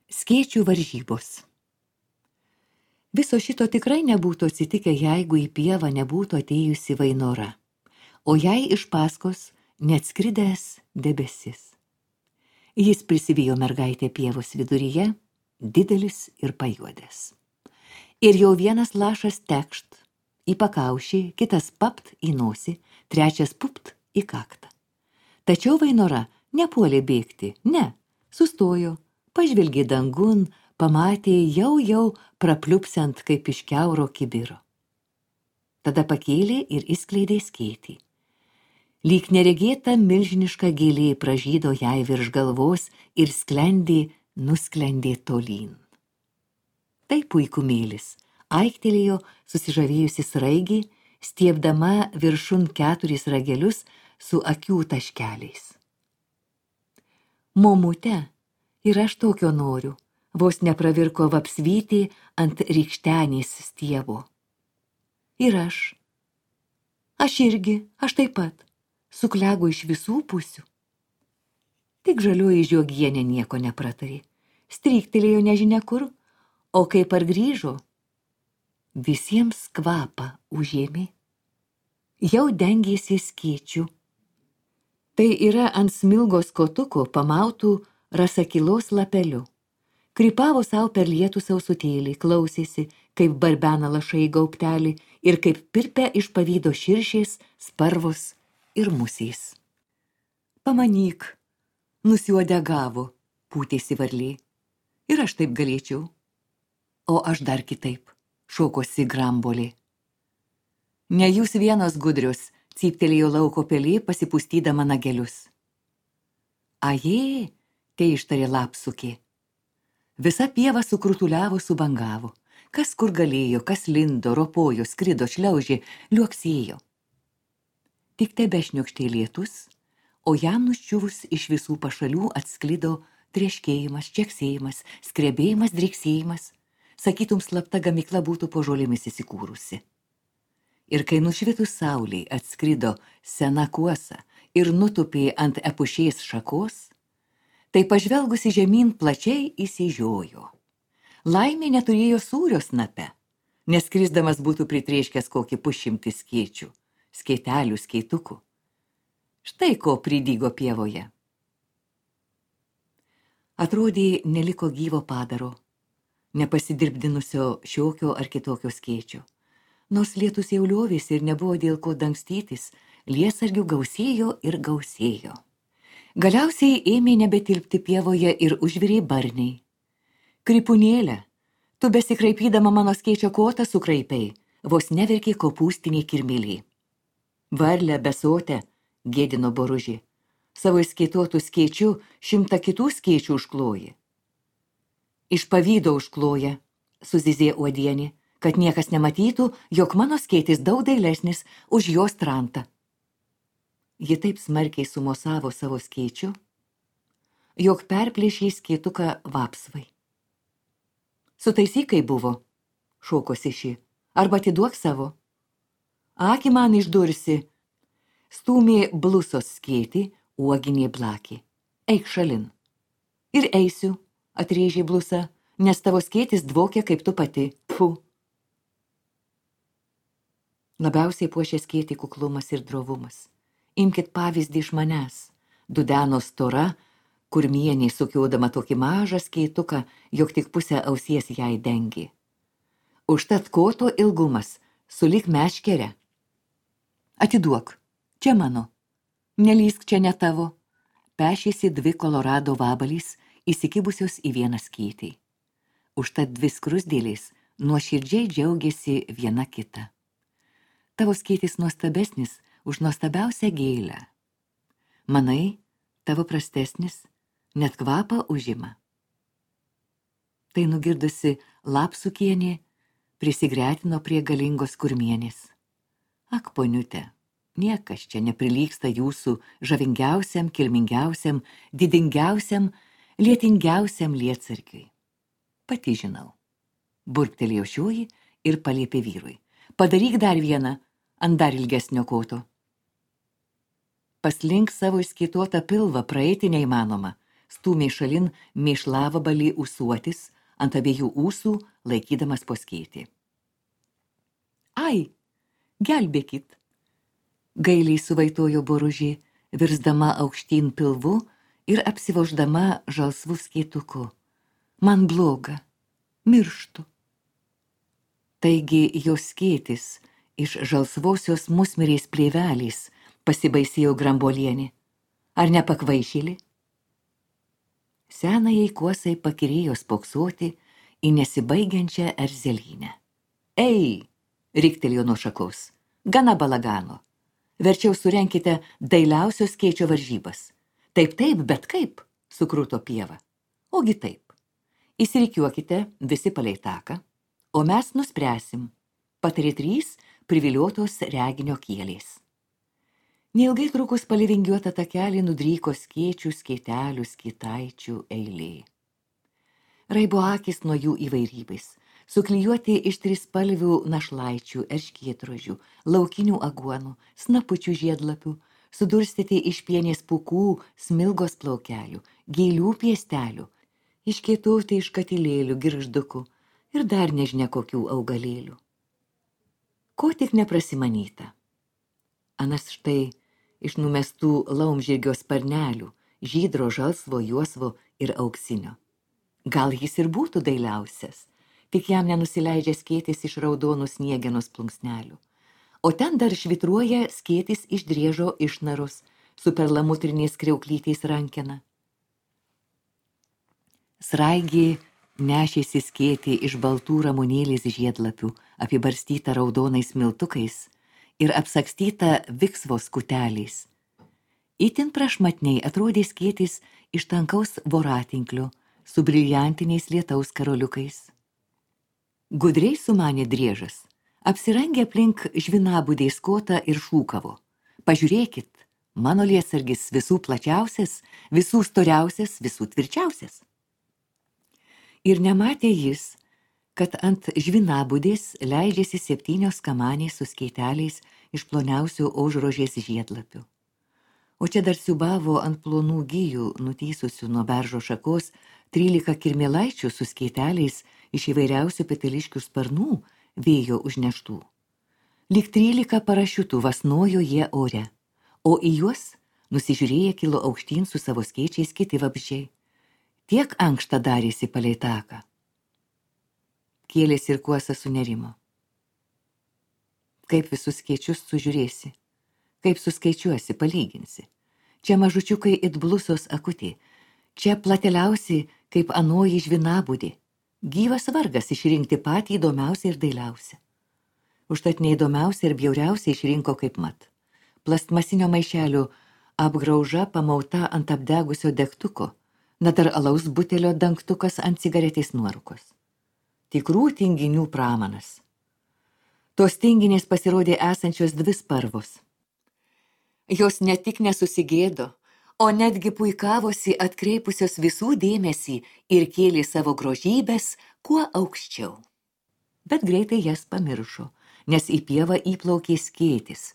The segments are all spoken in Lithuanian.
Skėčių varžybos. Viso šito tikrai nebūtų atsitikę, jeigu į pievą nebūtų atėjusi Vainora, o jai iš paskos neatskridęs debesis. Jis prisivijo mergaitę pievos viduryje, didelis ir pajuodęs. Ir jau vienas lašas tekšt į pakaušį, kitas papt į nosį, trečias pupt į kaktą. Tačiau Vainora nepuolė bėgti, ne, sustojo, pažvelgė dangun, pamatė jau prapliupsiant kaip iš kiauro kibiro. Tada pakėlė ir išskleidė skėtį. Lyg neregėta milžiniška gėlė pražydo jai virš galvos ir nusklendė tolyn. Tai puikumėlis, aiktelėjo susižavėjusi sraigė, stiebdama viršun 4 ragelius su akių taškeliais. Momute, ir aš tokio noriu, vos nepravirko vapsvytį ant rykštenės stiebo. Ir aš irgi, aš taip pat, suklego iš visų pusių. Tik žalioji žiogienė nieko nepratarė, stryktelėjo nežinia kur, o kai pargrįžo, visiems kvapą užėmė. Jau dengėsi skėčių. Tai yra ant smilgos kotuko pamautų rasakilos lapeliu. Krypavo savo per lietų sausutėlį, klausėsi, kaip barbena lašai gaubtelį ir kaip pirpia iš pavydo širšės, sparvos ir musės. Pamanyk, nusiuodegavo, pūtėsi varlė. Ir aš taip galėčiau. O aš dar kitaip, šokosi grambolė. Ne jūs vienas gudrius, cyptelėjo lauko pelė, pasipustydama nagelius. Ajė, tai ištarė lapsukė. Visa pieva sukrutuliavo, subangavo. Kas kur galėjo, kas lindo, ropojo, skrido, šliaužė, liuoksėjo. Tik tebešniokštė lietus, o jam nuščiuvus iš visų pašalių atsklido trieškėjimas, čeksėjimas, skrebėjimas, driksėjimas. Sakytum, slapta gamykla būtų po žolėmis įsikūrusi. Ir kai nušvitus saulei atskrido sena kuosa ir nutupė ant epušės šakos, tai pažvelgusi žemyn plačiai įsižiojo. Laimė neturėjo sūrio snape, nes skrisdamas būtų pritrėškęs kokį 100 skėčių, skėtelių, skėtukų. Štai ko pridygo pievoje. Atrodė, neliko gyvo padaro, nepasidirbdinusio šiokio ar kitokio skėčio. Nors lietus jau liovėsi ir nebuvo dėl ko dangstytis, lietsargių gausėjo ir gausėjo. Galiausiai ėmė nebetilpti pievoje ir užvirė barniai. Krypunėlė, tu besikraipydama mano skėčio kotą sukraipiai, vos neverkė kopūstinė kirmėlė. Varlę besotę, gėdino boružį, savo įskėtotų skėčių 100 kitų skėčių užkloji. Iš pavydo užkloja, suzizė uodienė, kad niekas nematytų, jog mano skėtis daug dailesnis už jos trantą. Ji taip smarkiai sumosavo savo skėčiu, jog perplėšė skėtuką vapsvai. Sutaisyk, kai buvo, šokosi ši, arba atiduok savo. Akį man išdursi, stūmė blusos skėtį, uoginė blakė. Eik šalin. Ir eisiu, atrėžė blusa, nes tavo skėtis dvokia kaip tu pati. Pfu. Labiausiai puošė skėtį kuklumas ir drovumas. Imkit pavyzdį iš manęs, dudeno stora, kurmienė sukiodama tokį mažą skėtuką, jog tik pusę ausies jai dengė. Užtat koto ilgumas, sulig meškerė. Atiduok, čia mano, nelysk čia ne tavo. Pešėsi 2 Kolorado vabalys, įsikibusios į vieną skėtį. Užtat 2 skruzdėlės nuoširdžiai džiaugiasi viena kita. Tavo skėtis nuostabesnis už nuostabiausią gėlę. Manai, tavo prastesnis, net kvapą užima. Tai nugirdusi lapsukienė prisigretino prie galingos kurmienės. Ak, poniute, niekas čia neprilygsta jūsų žavingiausiam, kilmingiausiam, didingiausiam, lietingiausiam lietsargiui. Pati žinau. Burptelėjo šioji ir paliepė vyrui. Padaryk dar vieną, ant dar ilgesnio koto. Paslink savo išskėtotą pilvą, praeiti neįmanoma, stūmė šalin mėšlavabalį ūsuotis, ant abiejų ūsų laikydamas po skėtį. Ai, gelbėkit! Gailiai suvaitojo boružė, virsdama aukštyn pilvu ir apsivoždama žalsvų skėtuku. Man bloga, mirštu. Taigi jos skėtis iš žalsvosios musmirės plėvelės, pasibaisėjo Grambolienė. Ar nepakvaišėlė? Senajai kuosai pakirėjo spoksoti į nesibaigiančią erzelynę. Ei, riktelėjo nuo šakos, gana balagano. Verčiau surenkite dailiausios skėčio varžybas. Taip, bet kaip, sukruto pieva. Ogi taip. Įsirikiuokite visi palei taką, o mes nuspręsim, patarė 3 priviliotos reginio kielės. Neilgai trukus palei vingiuotą takelį nudryko skėčių, skėtelių, skėtaičių eilė. Raibo akis nuo jų įvairybės, suklijuoti iš 3spalvių našlaičių, erškėtrožių, laukinių aguonų, snapučių žiedlapių, sudurstyti iš pienės pūkų, smilgos plaukelių, gėlių piestelių, iškėtauti iš katilėlių, girgždukų ir dar nežinia kokių augalėlių. Ko tik neprasimanyta. Anas štai iš numestų laumžirgio sparnelių, žydro, žalsvo, juosvo ir auksinio. Gal jis ir būtų dailiausias, tik jam nenusileidžia skėtis iš raudonų sniegenos plunksnelių. O ten dar švitruoja skėtis iš driežo išnaros su perlamutriniais kriauklytais rankena. Sraigė nešėsi skėtį iš baltų ramunėlės žiedlapių, apibarstytą raudonais miltukais ir apsakstytą viksvos kuteliais. Itin prašmatniai atrodė skėtis iš tankaus voratinklio su briljantiniais lietaus karoliukais. Gudriai sumanė driežas, apsirangė aplink žvinabudės kotą ir šūkavo. Pažiūrėkit, mano lietsargis visų plačiausias, visų storiausias, visų tvirčiausias. Ir nematė jis, kad ant žvinabudės leidžiasi 7 kamanės su skėteliais iš ploniausių aužrožės žiedlapių. O čia dar siubavo ant plonų gijų, nutysusių nuo beržo šakos, 13 kirmėlaičių su skėteliais iš įvairiausių peteliškių sparnų vėjo užneštų. Lyg 13 parašiutų vasnojo jie ore, o į juos nusižiūrėję kilo aukštyn su savo skėčiais kiti vabzdžiai. Tiek ankštą darėsi palei taką. Kėlės ir kuosa sunerimo. Kaip visus skėčius sužiūrėsi, kaip suskaičiuosi, palyginsi. Čia mažučiukai it blusos akutė, čia plateliausi kaip anoji žvinabudė. Gyvas vargas išrinkti patį įdomiausią ir dailiausią. Užtat neįdomiausią ir bjauriausią išrinko kaip mat. Plastmasinio maišelio apgrauža pamauta ant apdegusio degtuko, na dar alaus butelio dangtukas ant cigaretės nuorūkos. Tikrų tinginių pramanas. Tos tinginės pasirodė esančios 2 spalvos. Jos ne tik nesusigėdo, o netgi puikavosi atkreipusios visų dėmesį ir kėlė savo grožybės kuo aukščiau. Bet greitai jas pamiršo, nes į pievą įplaukė skėtis,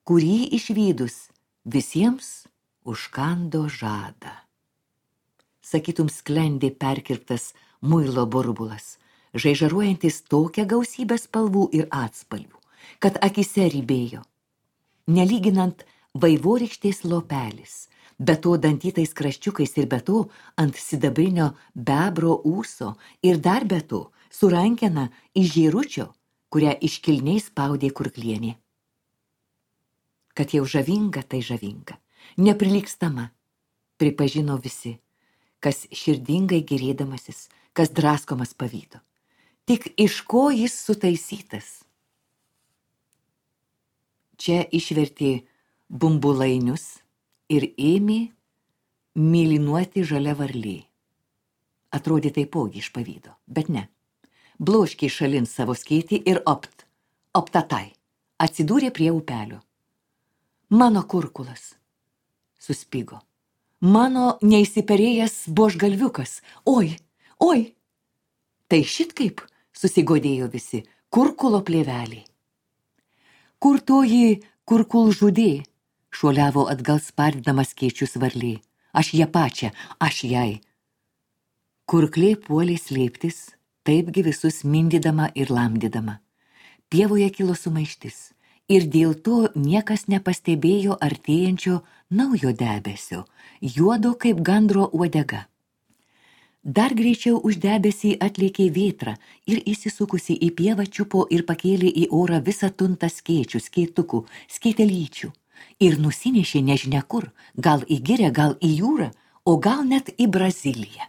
kurį išvydus visiems užkando žadą. Sakytum, sklendė perkirptas muilo burbulas, žaižaruojantis tokią gausybę spalvų ir atspalvių, kad akise rybėjo. Nelyginant vaivorykštės lopelis, be to dantytais kraščiukais ir be to ant sidabrinio bebro ūso ir dar be to su rankena iš žėručio, kurią iškilniai spaudė kurklienė. Kad jau žavinga, tai žavinga, neprilygstama, pripažino visi, kas širdingai gerėdamasis, kas draskomas pavydo. Tik iš ko jis sutaisytas? Čia išvertė bumbulainius ir ėmė mėlynuoti žalia varlė. Atrodė taipogi iš pavydo, bet ne. Bloškė šalin savo skėtį ir optatai, atsidūrė prie upelio. Mano kurkulas, suspigo. Mano neįsiperėjęs buožgalviukas, oi. Tai šitkaip, susigodėjo visi, kurkulo plėvelį. Kur toji kurkul žudė, šuoliavo atgal spardydamas skėčius varlė. aš ją pačią, aš jai. Kurklė puolė slėptis, taipgi visus mindydama ir lamdydama. Pievoje kilo sumaištis ir dėl to niekas nepastebėjo artėjančio naujo debesio, juodo kaip gandro uodega. Dar greičiau už debesį atlėkė vėtra ir įsisukusi į pievą čiupo ir pakėlė į orą visą tuntą skėčių, skėtukų, skėtelyčių ir nusinešė nežinia kur, gal į girią, gal į jūrą, o gal net į Braziliją.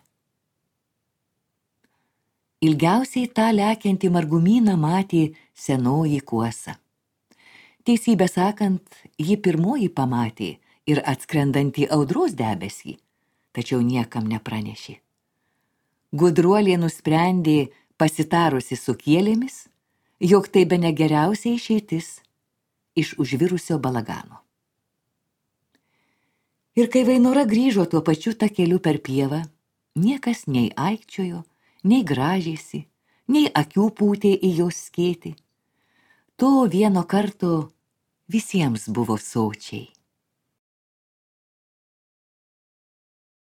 Ilgiausiai tą lekiantį margumyną matė senoji Kuosa. Teisybę sakant, ji pirmoji pamatė ir atskrendantį audros debesį, tačiau niekam nepranešė. Gudruolė nusprendė, pasitarusi su kielėmis, jog tai bene geriausia išeitis iš užvirusio balagano. Ir kai Vainora grįžo tuo pačiu takeliu per pievą, niekas nei aikčiojo, nei gražėsi, nei akių pūtė į jos skėtį. To vieno karto visiems buvo sočiai.